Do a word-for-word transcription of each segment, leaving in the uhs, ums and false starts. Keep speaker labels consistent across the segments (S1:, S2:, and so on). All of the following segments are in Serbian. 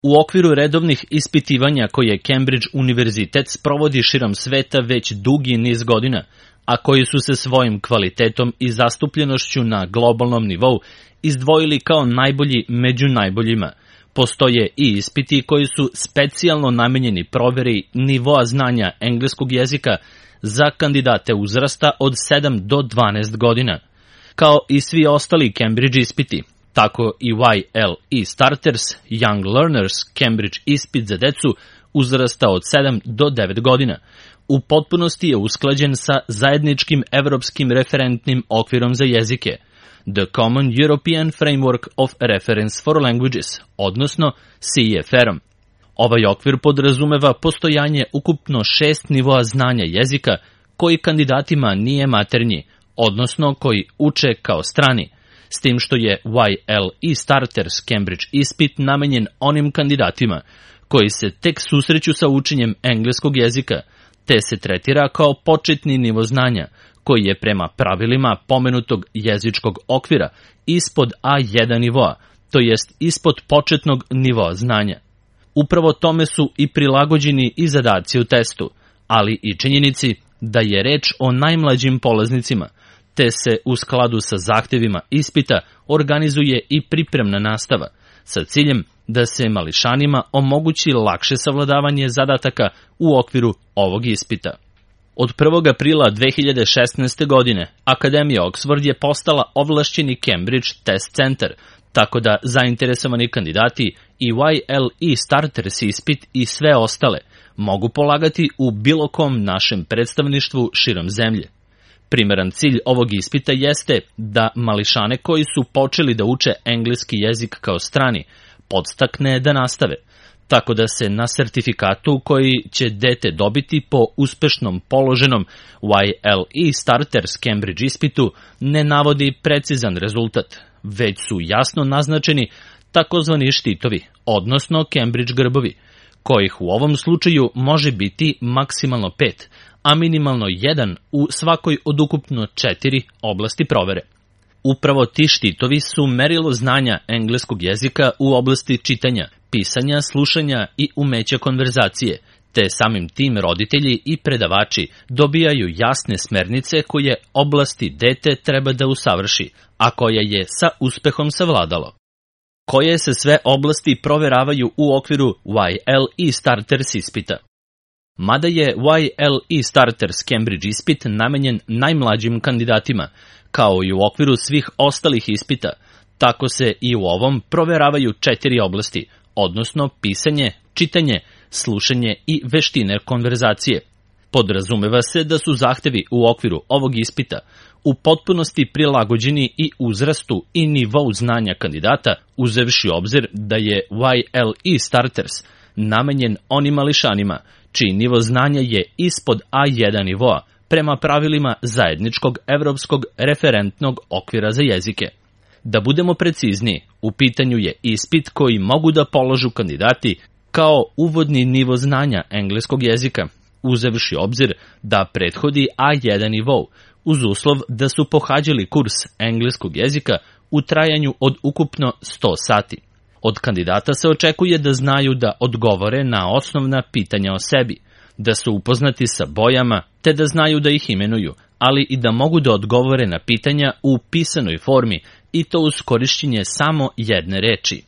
S1: U okviru redovnih ispitivanja koje Cambridge univerzitet sprovodi širom sveta već dugi niz godina, a koji su se svojim kvalitetom i zastupljenošću na globalnom nivou izdvojili kao najbolji među najboljima, postoje i ispiti koji su specijalno namenjeni proveri nivoa znanja engleskog jezika za kandidate uzrasta od sedam do dvanaest godina. Kao i svi ostali Cambridge ispiti, tako i Y L E Starters, Young Learners, Cambridge ispit za decu uzrasta od sedam do devet godina, u potpunosti je usklađen sa zajedničkim evropskim referentnim okvirom za jezike, The Common European Framework of Reference for Languages, odnosno C E F R-om. Ovaj okvir podrazumeva postojanje ukupno šest nivoa znanja jezika koji kandidatima nije maternji, odnosno koji uče kao strani, s tim što je Y L E Starters Cambridge ispit namenjen onim kandidatima koji se tek susreću sa učenjem engleskog jezika, te se tretira kao početni nivo znanja, koji je prema pravilima pomenutog jezičkog okvira ispod A jedan nivoa, to jest ispod početnog nivoa znanja. Upravo tome su i prilagođeni i zadaci u testu, ali i činjenici da je reč o najmlađim polaznicima, te se u skladu sa zahtevima ispita organizuje i pripremna nastava, sa ciljem da se mališanima omogući lakše savladavanje zadataka u okviru ovog ispita. Od prvog aprila dve hiljade šesnaeste. godine Akademija Oxford je postala ovlašćeni Cambridge Test Centar, tako da zainteresovani kandidati i Y L E Starters ispit i sve ostale mogu polagati u bilo kom našem predstavništvu širom zemlje. Primeran cilj ovog ispita jeste da mališane koji su počeli da uče engleski jezik kao strani podstakne da nastave, tako da se na sertifikatu koji će dete dobiti po uspešnom položenom Y L E Starters Cambridge ispitu ne navodi precizan rezultat, već su jasno naznačeni takozvani štitovi, odnosno Cambridge grbovi, kojih u ovom slučaju može biti maksimalno pet, a minimalno jedan u svakoj od ukupno četiri oblasti provere. Upravo ti štitovi su merilo znanja engleskog jezika u oblasti čitanja, pisanja, slušanja i umeća konverzacije, te samim tim roditelji i predavači dobijaju jasne smernice koje oblasti dete treba da usavrši, a koje je sa uspehom savladalo. Koje se sve oblasti proveravaju u okviru Y L E Starters ispita? Mada je Y L E Starters Cambridge ispit namenjen najmlađim kandidatima, kao i u okviru svih ostalih ispita, tako se i u ovom proveravaju četiri oblasti, odnosno pisanje, čitanje, slušanje i veštine konverzacije. Podrazumeva se da su zahtevi u okviru ovog ispita u potpunosti prilagođeni i uzrastu i nivou znanja kandidata, uzevši obzir da je Y L E Starters namenjen onim mališanima čiji nivo znanja je ispod A jedan nivoa prema pravilima zajedničkog evropskog referentnog okvira za jezike. Da budemo precizniji, u pitanju je ispit koji mogu da položu kandidati kao uvodni nivo znanja engleskog jezika, uzevši obzir da prethodi A jedan nivou, uz uslov da su pohađali kurs engleskog jezika u trajanju od ukupno sto sati. Od kandidata se očekuje da znaju da odgovore na osnovna pitanja o sebi, da su upoznati sa bojama, te da znaju da ih imenuju, ali i da mogu da odgovore na pitanja u pisanoj formi i to uz korišćenje samo jedne reči.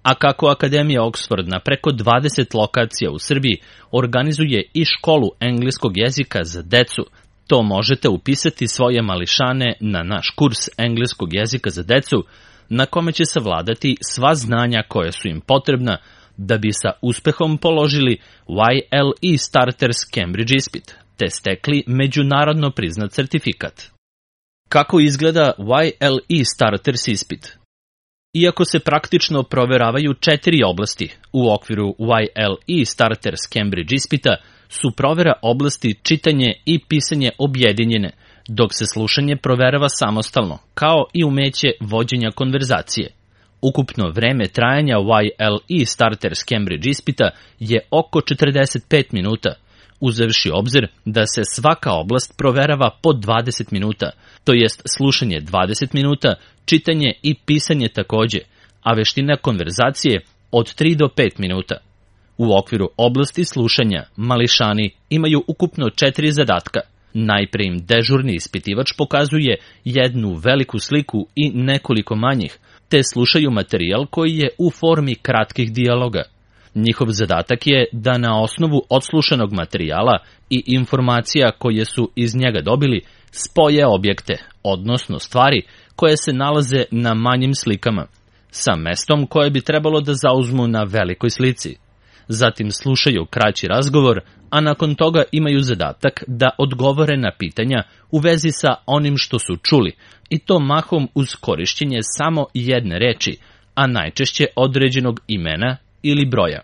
S1: A kako Akademija Oxford na preko dvadeset lokacija u Srbiji organizuje i školu engleskog jezika za decu, to možete upisati svoje mališane na naš kurs engleskog jezika za decu, na kome će savladati sva znanja koja su im potrebna da bi sa uspehom položili Y L E Starters Cambridge ispit, te stekli međunarodno priznat certifikat. Kako izgleda Y L E Starters ispit? Iako se praktično proveravaju četiri oblasti u okviru Y L E Starters Cambridge ispita, su provera oblasti čitanje i pisanje objedinjene, dok se slušanje proverava samostalno, kao i umeće vođenja konverzacije. Ukupno vreme trajanja Y L E Starters Cambridge ispita je oko četrdeset pet minuta, uzevši obzir da se svaka oblast proverava po dvadeset minuta, to jest slušanje dvadeset minuta, čitanje i pisanje takođe, a veština konverzacije od tri do pet minuta. U okviru oblasti slušanja mališani imaju ukupno četiri zadatka. Najpre im dežurni ispitivač pokazuje jednu veliku sliku i nekoliko manjih, te slušaju materijal koji je u formi kratkih dijaloga. Njihov zadatak je da na osnovu odslušanog materijala i informacija koje su iz njega dobili spoje objekte, odnosno stvari koje se nalaze na manjim slikama, sa mestom koje bi trebalo da zauzmu na velikoj slici. Zatim slušaju kraći razgovor, a nakon toga imaju zadatak da odgovore na pitanja u vezi sa onim što su čuli, i to mahom uz korišćenje samo jedne reči, a najčešće određenog imena ili broja.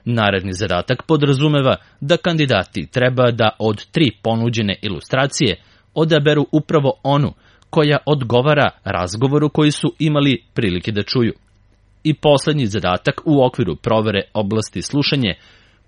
S1: Naredni zadatak podrazumeva da kandidati treba da od tri ponuđene ilustracije odaberu upravo onu koja odgovara razgovoru koji su imali prilike da čuju. I poslednji zadatak u okviru provere oblasti slušanje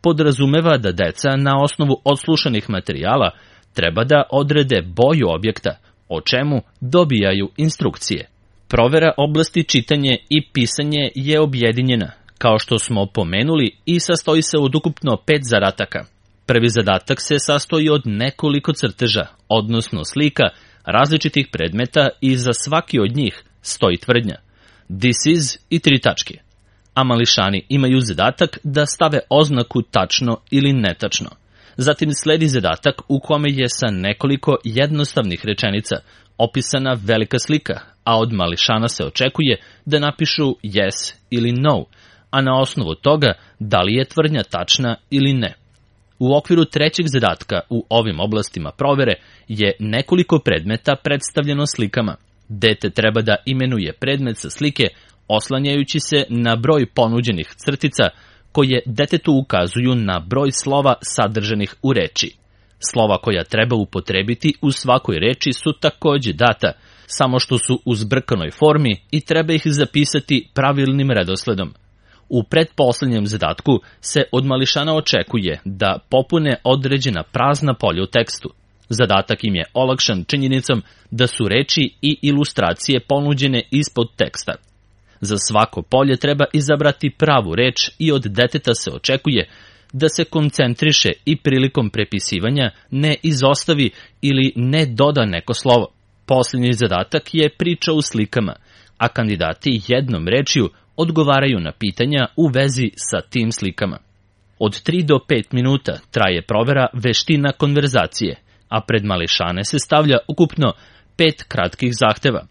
S1: podrazumeva da deca na osnovu odslušanih materijala treba da odrede boju objekta, o čemu dobijaju instrukcije. Provera oblasti čitanje i pisanje je objedinjena, kao što smo pomenuli, i sastoji se od ukupno pet zadataka. Prvi zadatak se sastoji od nekoliko crteža, odnosno slika, različitih predmeta i za svaki od njih stoji tvrdnja "This is" i tri tačke. A mališani imaju zadatak da stave oznaku tačno ili netačno. Zatim sledi zadatak u kome je sa nekoliko jednostavnih rečenica opisana velika slika, a od mališana se očekuje da napišu yes ili no, a na osnovu toga da li je tvrdnja tačna ili ne. U okviru trećeg zadatka u ovim oblastima provere je nekoliko predmeta predstavljeno slikama. Dete treba da imenuje predmet sa slike oslanjajući se na broj ponuđenih crtica koje detetu ukazuju na broj slova sadržanih u reči. Slova koja treba upotrebiti u svakoj reči su takođe data, samo što su u zbrkanoj formi i treba ih zapisati pravilnim redosledom. U pretposlednjem zadatku se od mališana očekuje da popune određena prazna polja u tekstu. Zadatak im je olakšan činjenicom da su reči i ilustracije ponuđene ispod teksta. Za svako polje treba izabrati pravu reč i od deteta se očekuje da se koncentriše i prilikom prepisivanja ne izostavi ili ne doda neko slovo. Posljednji zadatak je priča u slikama, a kandidati jednom rečju odgovaraju na pitanja u vezi sa tim slikama. Od tri do pet minuta traje provera veština konverzacije, a pred mališane se stavlja ukupno pet kratkih zahteva.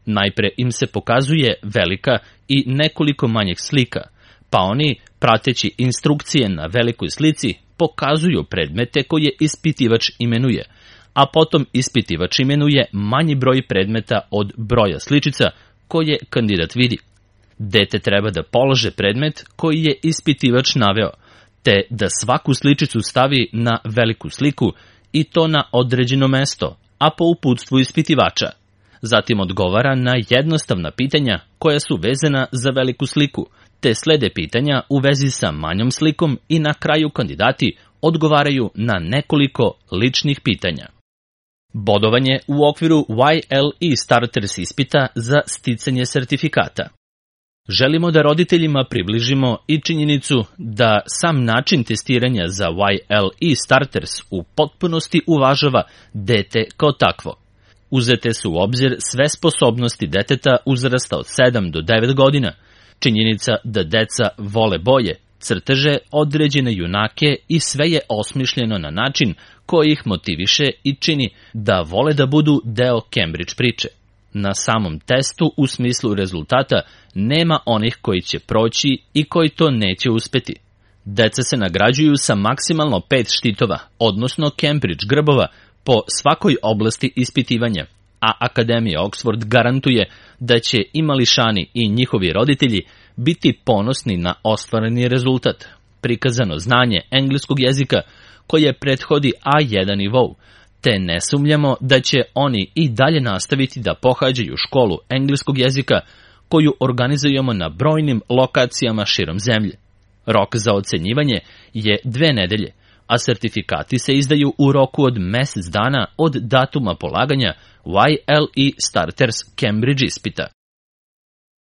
S1: Najpre im se pokazuje velika i nekoliko manjih slika, pa oni, prateći instrukcije na velikoj slici, pokazuju predmete koje ispitivač imenuje, a potom ispitivač imenuje manji broj predmeta od broja sličica koje kandidat vidi. Dete treba da polože predmet koji je ispitivač naveo, te da svaku sličicu stavi na veliku sliku i to na određeno mesto, a po uputstvu ispitivača. Zatim odgovara na jednostavna pitanja koja su vezana za veliku sliku, te slede pitanja u vezi sa manjom slikom i na kraju kandidati odgovaraju na nekoliko ličnih pitanja. Bodovanje u okviru Y L E Starters ispita za sticanje sertifikata. Želimo da roditeljima približimo i činjenicu da sam način testiranja za Y L E Starters u potpunosti uvažava dete kao takvo. Uzete su u obzir sve sposobnosti deteta uzrasta od sedam do devet godina, činjenica da deca vole boje, crteže, određene junake i sve je osmišljeno na način koji ih motiviše i čini da vole da budu deo Cambridge priče. Na samom testu u smislu rezultata nema onih koji će proći i koji to neće uspeti. Deca se nagrađuju sa maksimalno pet štitova, odnosno Cambridge grbova, po svakoj oblasti ispitivanja, a Akademija Oxford garantuje da će i mališani i njihovi roditelji biti ponosni na ostvareni rezultat. Prikazano znanje engleskog jezika koje prethodi A jedan nivou, te ne sumnjamo da će oni i dalje nastaviti da pohađaju školu engleskog jezika koju organizujemo na brojnim lokacijama širom zemlje. Rok za ocenjivanje je dve nedelje, a sertifikati se izdaju u roku od mesec dana od datuma polaganja Y L E Starters Cambridge ispita.